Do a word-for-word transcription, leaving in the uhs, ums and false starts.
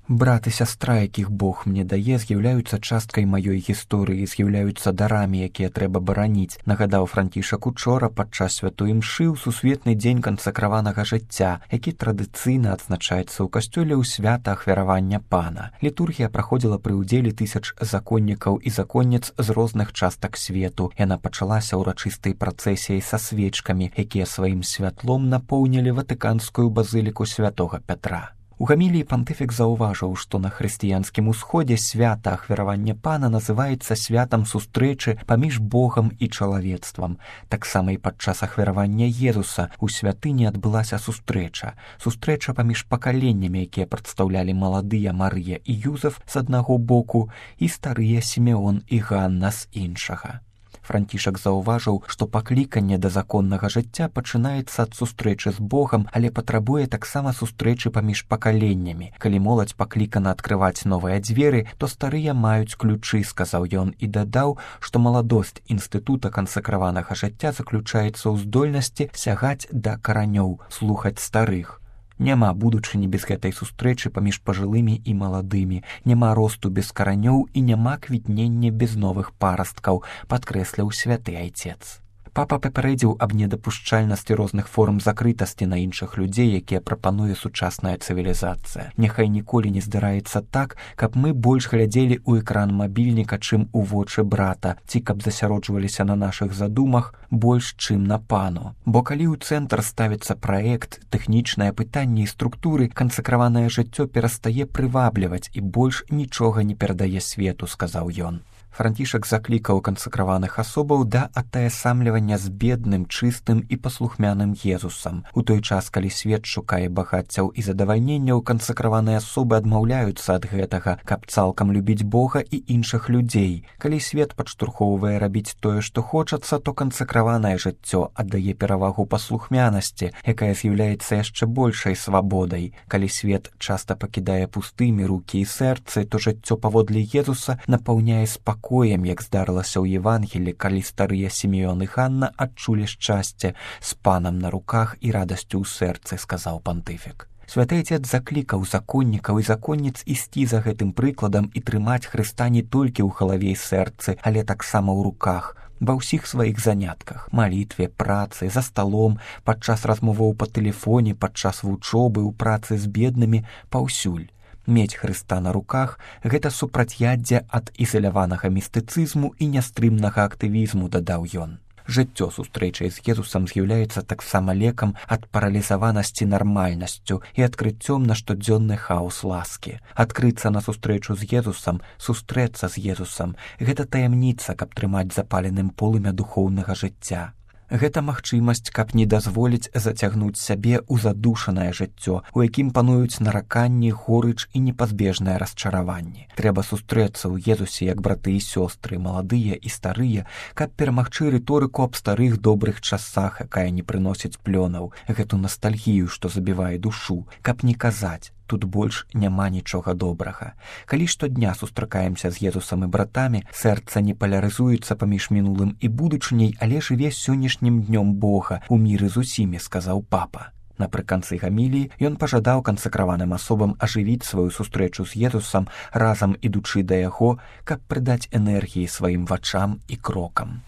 Брат і сястра, якіх Бог мне дае, з'яўляюцца часткай маёй гісторыі, з'яўляюцца дарамі, якія трэба бараніць, нагадаў Францішак учора падчас святой імшы ў сусветны дзень кансакраванага жыцця, які традыцыйна адзначаецца ў касцёле ў свята ахвяравання Пана. Літургія праходзіла пры ўдзеле тысяч законнікаў і законніц з розных частак свету. Яна пачалася ўрачыстай працэсіяй са свечкамі, якія сваім святлом напоўнілі ватыканскую базыліку святога Пятра. У гаміліі пантыфік заўважыў, што на хрысціянскім усходзе свята ахвяравання Пана называецца святам сустрэчы паміж Богам і чалавецтвам. Таксама і падчас ахвяравання Езуса ў святыні адбылася сустрэча. Сустрэча паміж пакаленнямі, якія прадстаўлялі маладыя Марыя і Юзеф з аднаго боку і старыя Сімеон і Ганна з іншага. Францішак заўважыў, што пакліканне да законнага жыцця пачынаецца ад сустрэчы з Богам, але патрабуе таксама сустрэчы паміж пакаленнямі. Калі моладзь паклікана адкрываць новыя дзверы, то старыя маюць ключы, сказаў ён і дадаў, што маладосць інстытута кансакраванага жыцця заключаецца ў здольнасці сягаць да каранёў, слухаць старых. Няма будучыні без гэтай сустрэчы паміж пажылымі і маладымі, няма росту без каранёў і няма квітнення без новых парасткаў, падкрэсліў святы айцец. Папа папярэдзіў аб недапушчальнасці розных форм закрытасці на іншых людзей, якія прапануе сучасная цывілізацыя. Няхай ніколі не здараецца так, каб мы больш глядзелі ў экран мабільніка, чым у вочы брата, ці каб засяроджваліся на нашых задумах больш, чым на Пану. Бо калі ў цэнтр ставіцца праект, тэхнічнае пытанне і структуры, кансакраванае жыццё перастае прывабліваць і больш нічога не перадае свету, сказаў ён. Францішак заклікаў кансакраваных асобаў да атаясамлівання з бедным, чыстым і паслухмяным Езусам. У той час, калі свет шукае багаццяў і задавальненняў, кансакраваныя асобы адмаўляюцца ад гэтага, каб цалкам любіць Бога і іншых людзей. Калі свет падштурхоўвае рабіць тое, што хочацца, то кансакраванае жыццё аддае перавагу паслухмянасці, якая з'яўляецца яшчэ большай свабодай. Калі свет часта пакідае пустымі рукі і сэрцы, то жыццё паводле Езуса напаўняе спакой, як здарылася ў Евангелі, калі старыя Сімеон і Ганна адчулі шчасце з Панам на руках і радасцю ў сэрцы, сказаў пантыфік. Святы айцец заклікаў законнікаў і законніц ісці за гэтым прыкладам і трымаць Хрыста не толькі ў галаве і сэрцы, але таксама ў руках, ва ўсіх сваіх занятках, малітве, працы, за сталом, падчас размоваў па тэлефоне, падчас вучобы, у працы з беднымі, паўсюль. Мець Хрыста на руках – гэта супрацьяддзе ад ізаляванага містыцызму і нястрымнага актывізму, дадаў ён. Жыццё сустрэчай з Езусам з'яўляецца таксама лекам ад паралізаванасці нармальнасцю і адкрыццём на штодзённы хаос ласкі. Адкрыцца на сустрэчу з Езусам, сустрэцца з Езусам – гэта таямніца, каб трымаць запаленым полымя духоўнага жыцця. Гэта магчымасць, каб не дазволіць зацягнуць сябе ў задушанае жыццё, у якім пануюць нараканні, горыч і непазбежнае расчараванне. Трэба сустрэцца ў Езусе як браты і сёстры, маладыя і старыя, каб перамагчы рыторыку аб старых добрых часах, якая не прыносіць плёнаў, гэту ностальгію, што забівае душу, каб не казаць: тут больш няма нічога добрага. Калі штодня сустракаемся з Езусам і братамі, сэрца не палярызуецца паміж мінулым і будучыняй, але жыве сённяшнім днём Бога у міры з усімі, сказаў папа. Напрыканцы гаміліі ён пажадаў кансакраваным асобам ажывіць сваю сустрэчу з Езусам, разам ідучы да яго, каб прыдаць энергіі сваім вачам і крокам.